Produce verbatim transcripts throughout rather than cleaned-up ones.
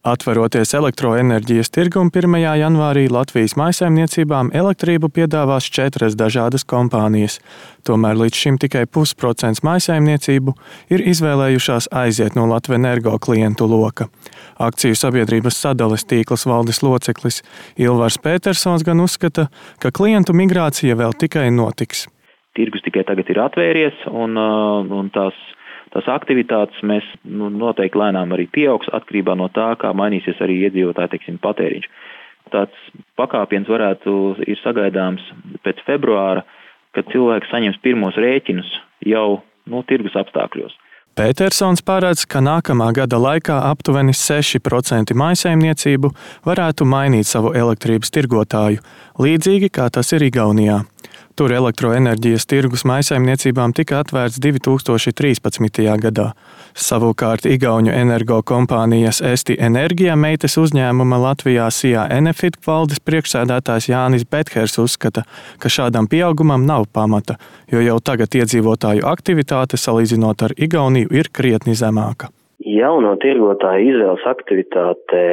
Atveroties elektroenerģijas tirgum pirmajā janvārī, Latvijas mājsaimniecībām elektrību piedāvās četras dažādas kompānijas. Tomēr līdz šim tikai pusprocents mājsaimniecību ir izvēlējušās aiziet no Latvenergo klientu loka. Akciju sabiedrības sadales tīkls valdes loceklis Ilvars Pētersons gan uzskata, ka klientu migrācija vēl tikai notiks. Tirgus tikai tagad ir atvēries un, un tās Tās aktivitātes mēs nu, noteikti lēnām arī pieaugs atkarībā no tā, kā mainīsies arī iedzīvotāju, teiksim, patēriņš. Tāds pakāpiens varētu ir sagaidāms pēc februāra, kad cilvēki saņems pirmos rēķinus jau nu, tirgus apstākļos. Pētersons paredz, ka nākamā gada laikā aptuveni seši procenti mājsaimniecību varētu mainīt savu elektrības tirgotāju, līdzīgi kā tas ir Igaunijā. Tur elektroenerģijas tirgus mājsaimniecībām tika atvērts divi tūkstoši trīspadsmitajā gadā. Savukārt Igauņu energo kompānijas Esti Energia meitas uzņēmuma Latvijā Sijā Enefit valdes priekšsēdētājs Jānis Bethers uzskata, ka šādam pieaugumam nav pamata, jo jau tagad iedzīvotāju aktivitāte salīdzinot ar Igauniju ir krietni zemāka. Jauno tirgotāju izvēles aktivitāte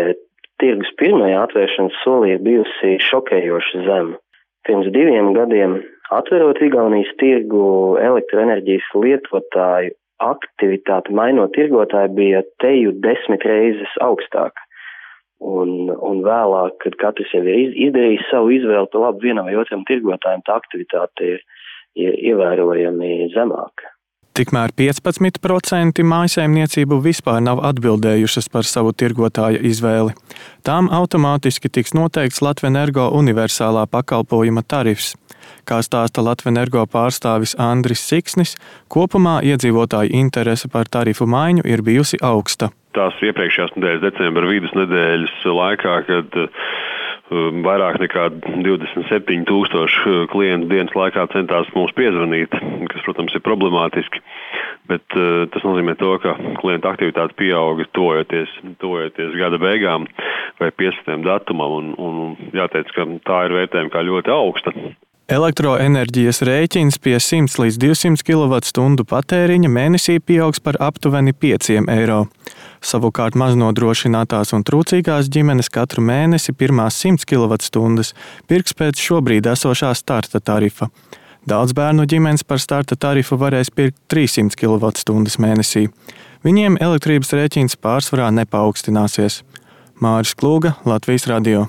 tirgus pirmajā atvēršanas solī ir bijusi šokējoši zema. Pirms diviem gadiem, atverot Igaunijas tirgu, elektroenerģijas lietotāju aktivitāte mainot tirgotāju bija teju desmit reizes augstāka. Un, un vēlāk, kad katrs jau ir izdarījis savu izvēli, pa labu vienam vai otram tirgotājiem, tā aktivitāte ir, ir ievērojami zemāka. Tikmēr piecpadsmit procenti mājsaimniecību vispār nav atbildējušas par savu tirgotāja izvēli. Tām automātiski tiks noteikts Latvenergo universālā pakalpojuma tarifs. Kā stāsta Latvenergo pārstāvis Andris Siksnis, kopumā iedzīvotāju interese par tarifu maiņu ir bijusi augsta. Tās iepriekšējās nedēļas decembra vidus nedēļas laikā, kad vairāk nekā divdesmit septiņi tūkstoši klientu dienas laikā centās mums piezvanīt, kas, protams, ir problemātiski, bet uh, tas nozīmē to, ka klientu aktivitāte pieauga tojoties, tojoties gada beigām vai piecpadsmitajam datumam, un, un jāteic, ka tā ir vērtējuma kā ļoti augsta. Elektroenerģijas rēķins pie simts līdz divsimt kilovatstundu patēriņa mēnesī pieaugs par aptuveni pieciem eiro. Savukārt maznodrošinātās un trūcīgās ģimenes katru mēnesi pirmās simts kilovatstundas pirks pēc šobrīd esošā starta tarifa. Daudz bērnu ģimenes par starta tarifu varēs pirkt trīssimt kilovatstundas mēnesī. Viņiem elektrības rēķins pārsvarā nepaaugstinās. Māris Klūga, Latvijas radio.